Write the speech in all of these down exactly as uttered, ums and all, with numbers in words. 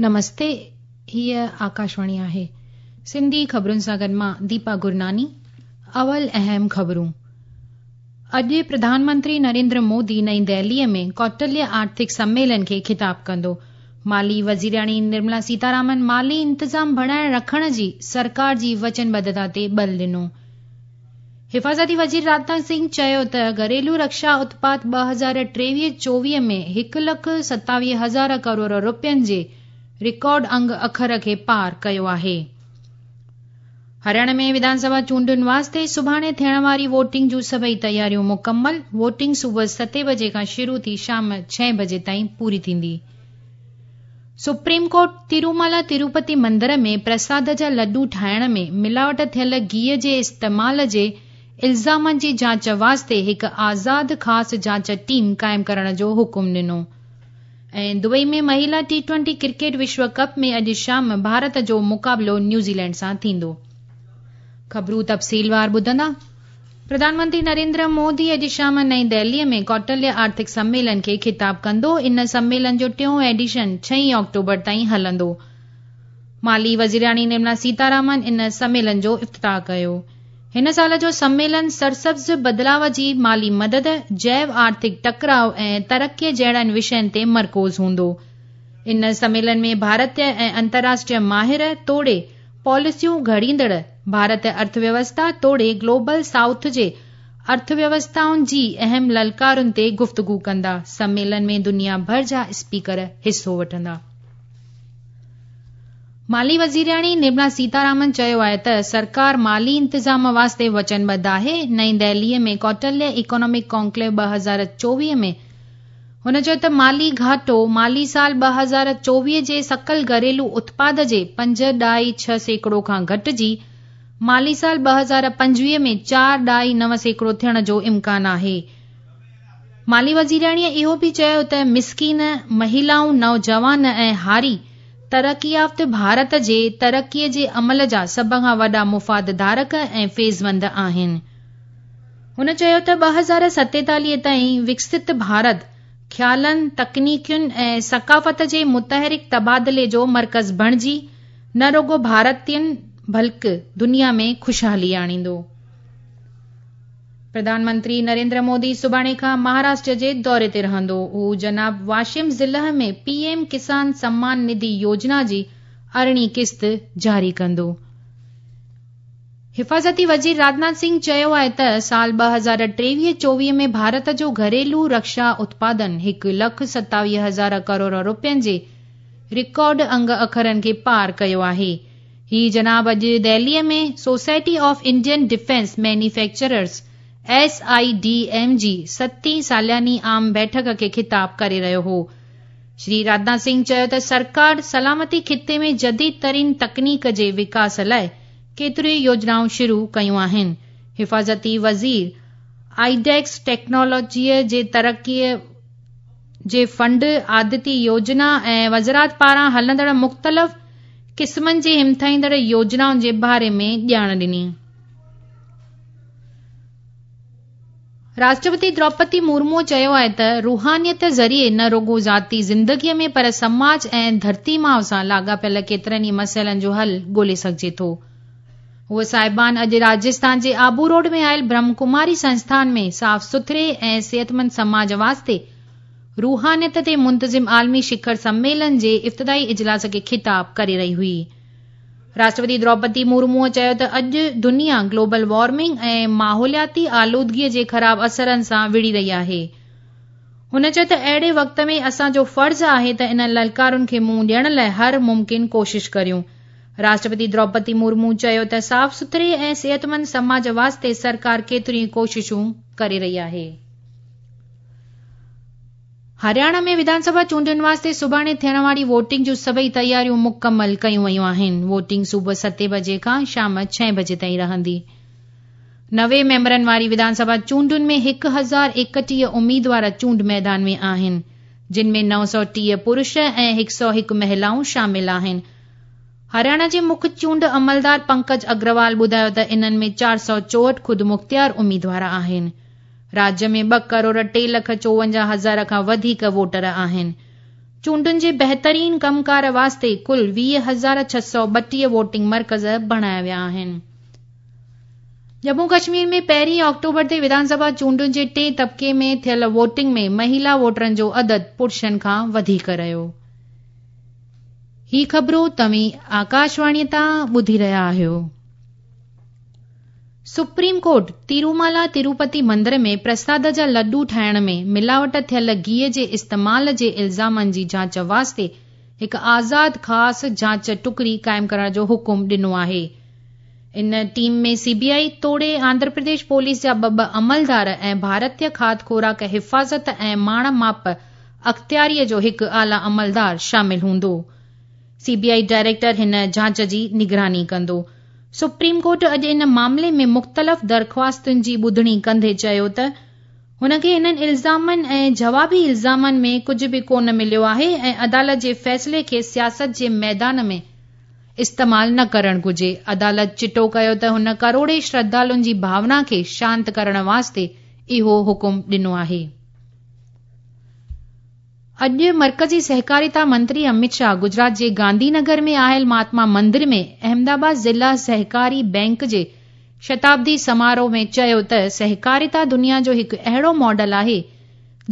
نمستي، هيء آڪاشواڻي آهي. سنڌي خبرن سان گڏ مان ديپا گرناني. اول اهم خبرون. اڄ پرڌان منتري نريندر مودي نئين دهليء ۾ ڪوٽليه آرٿڪ سميلن کي خطاب ڪندو. مالي وزيرياڻي نرملا سيتارامن مالي انتظام بڻائي رکڻ جي سرڪار جي وچنبڌتا تي ٻل ڏنو. حفاظتي وزير راجناٿ سنگهه چيو ته گهريلو رڪشا اتپاد ٻه هزار ٽيويهه چوويهه ۾ هڪ لک ستاويهه هزار ڪروڙ رپين جي رڪارڊ انگ اکر کي پار ڪيو آهي. هرياڻا ۾ وڌان سڀا چونڊن واسطي سڀاڻي ٿيڻ واري ووٽنگ جون سڀئي تياريون مڪمل. ووٽنگ صبح ستين بجي کان شروع ٿي شام ڇهين بجي تائين پوري ٿيندي. سپريم ڪورٽ ترومالا تروپتي مندر ۾ پرساد جا لڏون ٺاهڻ ۾ ملاوٽ ٿيل گيهه جي استعمال جي الزامن جي جاچ واسطي هڪ آزاد خاص جاچ ٽيم قائم ڪرڻ جو حڪم ڏنو. ۽ دبئي ۾ مهلا ٽي ٽوئنٽي ڪرڪيٽ وشو ڪپ ۾ اڄ شام ڀارت جو مقابلو نيوزيلينڊ سان ٿيندو. خبرون تفصيلوار ٻڌندا. پرڌان منتري نريندر مودي اڄ شام نئين دهليء ۾ ڪوٽليه آرٿڪ سميلن کي خطاب ڪندو. ان سميلن جو ٽيون ايڊيشن ڇهين آڪٽوبر تائين هلندو. مالي وزيرياڻي نرملا سيتارامن ان سميلن جو افتتاح ڪيو. هن سال جو سميلن سرسبز بدلاءُ جي مالي مدد، جيو آرٿڪ ٽڪراءُ ۽ ترقيءَ جهڙن وشين تي مرڪوز هوندو. ان سميلن ۾ ڀارتيه ۽ انترراشٽريه ماهر توڙي پاليسيون گهڙيندڙ ڀارتيه ارٿويوسٿا توڙي گلوبل سائوٿ جي ارٿويوسٿائن جي اهم للڪارن تي گفتگو ڪندا. سميلن ۾ دنيا ڀر جا اسپيڪر حصو وٺندا. مالي وزيرياڻي نرملا سيتارامن چيو آهي ته سرڪار مالي انتظام واسطي وچنبڌ آهي. نئين دهليء ۾ ڪوٽليه اڪنامڪ ڪانڪليو ٻه هزار چوويهه ۾ هن چيو ته مالي گهاٽو مالي سال ٻه هزار چوويهه جي سڪل گهريلو اتپاد جي پنج ڏهائي ڇهه سيڪڙو کان گهٽجي مالي سال ٻه هزار پنجويهه ۾ چار ڏهائي نو سيڪڙو ٿيڻ جو امڪان آهي. مالي وزيرياڻيء اهو به چيو ته مسڪين، مهلائون، نوجوان ۽ هاري ترقي يافته ڀارت جي ترقيءَ جي عمل جا سڀ کان وڏا مفاد ڌارڪ ۽ فيضمند آهن. هن چيو ته ٻه هزار ستيتاليهه تائين وڪست ڀارت خيالن، تڪنيڪين ۽ ثقافت جي متحرڪ تبادلي جو مرڪز بڻجي نه رڳو ڀارتين بلڪه دنيا ۾ خوشحالي آڻيندو. پرڌان منتري نريندر مودي سڀاڻي کان مهاراشٽر جي دوري تي رهندو. هو جناب واشم ضلع ۾ پي ايم ڪسان سمان نڌي يوجنا جي ارڙهين قسط جاري ڪندو. حفاظتي وزير راجناٿ سنگهه چيو آهي ته سال ٻه هزار ٽيويهه چوويهه ۾ ڀارت جو گهريلو رڪشا اتپادن هڪ لک ستاويهه هزار ڪروڙ رپين جي رڪارڊ انگ اکرن کي پار ڪيو آهي. هي جناب اڄ دهليء ۾ society of Indian defence manufacturers S I D M جي ستين سالياني عام بيٺڪ کي خطاب ڪري رهيو هو. شري راجناٿ سنگهه چيو ته سرڪار سلامتي خطي ۾ جديد ترين تڪنيڪ جي وڪاس لاءِ ڪيتريون يوجنائون شروع ڪيون آهن. حفاظتي وزير آئيڊيڪس ٽيڪنالاجيءَ جي ترقيءَ جي فنڊ، آدتي يوجنا ۽ وزارت پاران هلندڙ مختلف قسمن جي همٿائيندڙ يوجنائن جي باري ۾ ڄاڻ ڏني. راشٽرپتي دروپدي مرمو چيو آهي ته روحانيت ذريعي نه رڳو ذاتي زندگيءَ ۾ پر سماج ۽ ڌرتي ماءُ سان لاڳاپيل ڪيترن ئي مسئلن جو حل ڳولي سگهجي ٿو. هوءَ صاحبان اڄ راجسٿان جي آبو روڊ ۾ آيل برهم ڪماري سنسٿان ۾ صاف سٿري ۽ صحتمند سماج واسطي روحانيت تي منتظم عالمي شکر سميلن جي افتتاحي اجلاس کي خطاب ڪري رهي هئي. راشٽرپتي دروپدي مرموءَ چيو ته اڄ دنيا گلوبل وارمنگ ۽ ماحولياتي آلودگيءَ جي خراب اثرن سان وڙهي رهي آهي. هن چيو ته اهڙي وقت ۾ اسان جو فرض آهي ته انهن للڪارن کي منهن ڏيڻ لاءِ هر ممڪن ڪوشش ڪريون. راشٽرپتي دروپدي مرمو چيو ته صاف سٿري ۽ صحتمند سماج واسطي سرڪار ڪيتريون ڪوششون ڪري رهي آهي. هرياڻا ۾ وڌان سڀا چونڊن واسطي سڀاڻي ٿيڻ واري ووٽنگ جون سڀئي تياريون مڪمل ڪيون ويون آهن. ووٽنگ صبح ستين بجي کان شام ڇهين بجي تائين رهندي. نوي ميمبرن واري وڌان سڀا چونڊن ۾ هڪ هزار ايڪٽيهه اميدوار چونڊ ميدان ۾ آهن، جن ۾ نو سؤ ٽيهه پرش ۽ هڪ سؤ هڪ مهلائون شامل آهن. هرياڻا جي مکيه چونڊ عملدار پنڪج اگروال ٻڌايو ته انهن ۾ چار سؤ چوهٺ خودمختيار اميدوار آهن. راجيه ۾ ٻه ڪروڙ ٽي لک چوونجاهه هزار کان وڌيڪ ووٽر آهن. چونڊن جي بهترين ڪمڪار واسطي ڪل ويهه هزار ڇهه سؤ ٻٽيهه ووٽنگ مرڪز بڻايا ويا آهن. ڄمون ڪشمير ۾ پهرين آڪٽوبر تي وڌان سڀا چونڊن جي ٽئين طبقي ۾ ٿيل ووٽنگ ۾ مهيلا ووٽرن جو عدد پرشن کان وڌيڪ رهيو. هي خبرون توهين آڪاشواڻيء تان ٻڌي رهيا آهيو. سپريم ڪورٽ تيرومالا تروپتي مندر ۾ پرساد جا لڏو ٺاهڻ ۾ ملاوٽ ٿيل گيهه جي استعمال جي الزامن جي جاچ واسطي هڪ آزاد خاص جاچ ٽڪڙي قائم ڪرڻ جو حڪم ڏنو آهي. ان ٽيم ۾ سي بي آء توڙي آنڌرا پرديش پوليس جا ٻه ٻه عملدار ۽ ڀارتيه کاڌ خوراڪ حفاظت ۽ ماڻ ماپ اختياريء جو هڪ اعليٰ عملدار شامل هوندو. سي بي I director هن جاچ جي نگراني ڪندو. سپريم ڪورٽ اڄ ان معاملي ۾ مختلف درخواستن جي ٻڌڻي ڪندي چيو ته هن کي انهن الزامن ۽ جوابي الزامن ۾ ڪجهه به ڪونه مليو آهي ۽ عدالت جي فيصلي کي سياست جي ميدان ۾ استعمال نه ڪرڻ گهرجي. عدالت چٽو ڪيو ته هن ڪروڙين شرڌالن جي ڀاونا کي شانت ڪرڻ واسطي اهو حڪم ڏنو آهي. اڄ مرڪزي سهڪاريتا منتري امت شاهه گجرات جي گانڌي نگر ۾ آيل مهاتما مندر ۾ احمدآباد ضلع سهڪاري بئنڪ جي شتابدي سماروهه ۾ چيو ته سهڪاريتا دنيا جو هڪ اهڙو ماڊل آهي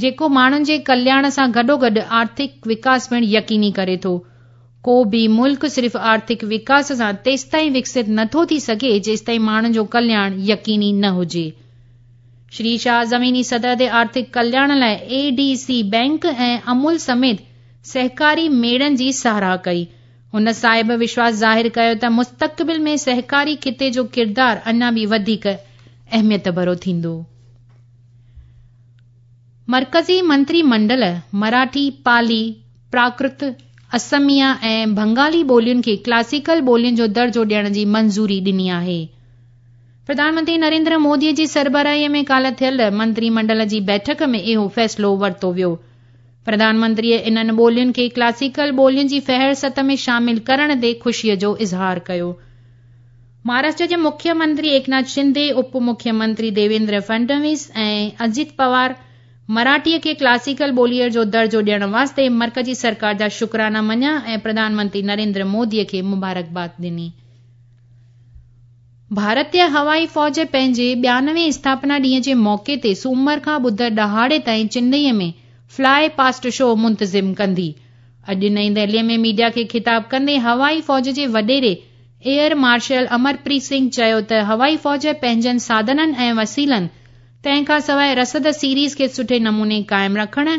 جيڪو ماڻهن جي ڪلياڻ سان گڏوگڏ آرٿڪ وڪاس پڻ يقيني ڪري ٿو. ڪو به ملڪ صرف آرٿڪ وڪاس سان تيستائين وڪست نٿو ٿي سگهي جيستائين ماڻهن جو ڪلياڻ يقيني نه هجي. شري شاهه زميني سطح تي آرٿڪ ڪلياڻ لاءِ اي ڊي سي بئنڪ ۽ امول سميت سهڪاري ميڙن جي ساراهه ڪئي. هن صاحب وشواس ظاهر ڪيو ته مستقبل ۾ سهڪاري خطي جو ڪردار اڃا به وڌيڪ اهميت ڀرو ٿيندو. مرڪزي منتري منڊل مراٺي، پالي، پراڪرت، اسميا ۽ بنگالي ٻولين کي ڪلاسيڪل ٻولين جو درجو ڏيڻ جي منظوري ڏني آهي. پرڌان منتري نريندر موديءَ جي سربراهيءَ ۾ ڪالهه ٿيل منتري منڊل جي بيٺڪ ۾ اهو فيصلو ورتو ويو. پرڌان منتريءَ انهن ٻولين کي ڪلاسيڪل ٻولين جي فهرست ۾ شامل ڪرڻ تي خوشيءَ جو اظهار ڪيو. مهاراشٽر جي مکيه منتري ايڪناٿ شندي، اپ مکيه منتري ديويندر فڊنويس ۽ اجيت پوار مراٺيءَ کي ڪلاسيڪل ٻوليءَ جو درجو ڏيڻ واسطي مرڪزي سرڪار جا شڪرانا مڃيا ۽ پرڌان منتري نريندر موديءَ کي مبارڪباد ڏني. ڀارتيه هوائي فوج پنهنجي ٻيانوي اسٿاپنا ڏينهن جي موقعي تي سومر کان ٻڌر ڏهاڙي تائين چنئي ۾ فلائي پاسٽ شو منتظم ڪندي. اڄ نئين دهليءَ ۾ ميڊيا کي خطاب ڪندي هوائي فوج جي وڏيري ايئر مارشل امرپريت سنگهه چيو ته هوائي فوج پنهنجن ساڌنن ۽ وسيلن تنهن کان سواءِ رسد سيريز کي سٺي نموني قائم رکڻ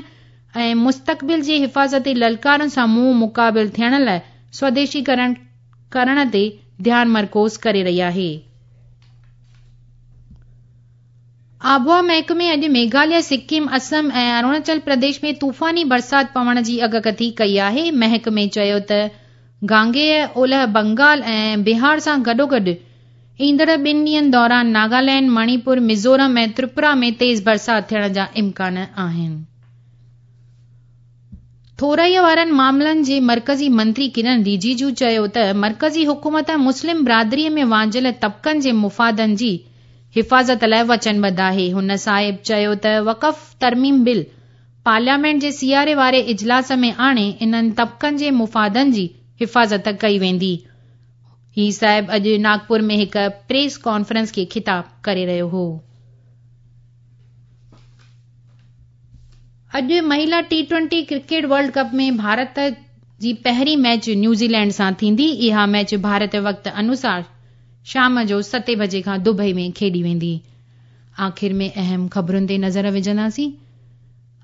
۽ مستقبل جي حفاظتي للڪارن سان منهن مقابل ٿيڻ لاءِ سوديشيڪرڻ ڪرڻ تي ڌيان مرڪوز ڪري رهي آهي. آبهوا محڪمي اڄ ميگهاليه، سڪم، اسم ۽ اروناچل پرديش ۾ طوفاني برسات پوڻ جي اڳڪٿي ڪئي آهي. محڪمي چيو ته گانگيهه، اولهه بنگال ۽ بهار سان گڏوگڏ ايندڙ ٻن ڏينهن دوران ناگالينڊ، مڻيپور، ميزورم ۽ تريپورا ۾ تيز برسات ٿيڻ جا امڪان آهن. ٿورائيءَ وارن معاملن جي مرڪزي منتري ڪرن رجيجو چيو ته مرڪزي حڪومت مسلم برادريءَ ۾ وانجهيل طبقن جي مفادن جي حفاظت لاءِ وچنبڌ آهي. هن صاحب چيو ته وقف ترميم بل پارليامينٽ جي سياري واري اجلاس ۾ آڻي انهن طبقن جي مفادن جي حفاظت ڪئي ويندي. هي صاحب اڄ ناگپور ۾ هڪ پريس ڪانفرنس کي خطاب ڪري رهيو هو. اڄ مهلا T twenty cricket world cup ۾ Bharat جي پهرين ميچ نيوزيلينڊ سان ٿيندي. اها ميچ ڀارت وقت انوسار شام جو ستين بجي کان دبئي ۾ کيڏي ويندي. آخر ۾ اهم خبرن تي نظر وجهنداسين.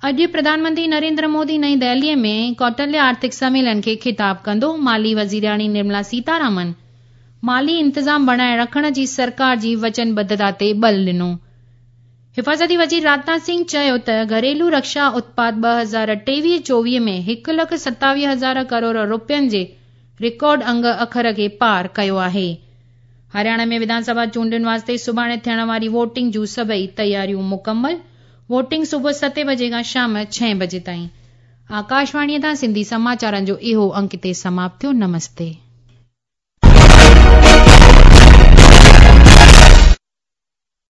اڄ پرڌان منتري نريندر مودي نئين دهليءَ ۾ ڪوٽليه آرٿڪ سميلن کي خطاب ڪندو. مالي وزيراڻي نرملا سيتارامن مالي انتظام بڻائي رکڻ جي سرڪار جي وچنبڌتا تي ٻل ڏنو. حفاظتي وزير راجناٿ سنگهه چيو ته گهريلو رڪشا اتپاد ٻه هزار ٽيويهه چوويهه ۾ هڪ لک ستاويهه هزار ڪروڙ رپين جي رڪارڊ انگ اکر کي پار ڪيو آهي. هرياڻا ۾ وڌان سڀا چونڊن واسطي سڀاڻي ٿيڻ واري ووٽنگ جون سڀئي تياريون مڪمل. ووٽنگ صبح ستين بجي کان شام ڇهين بجي تائين. آڪاشواڻيءَ تان سنڌي سماچارن جو اهو انڪ هتي سماپت ٿيو. نمستي.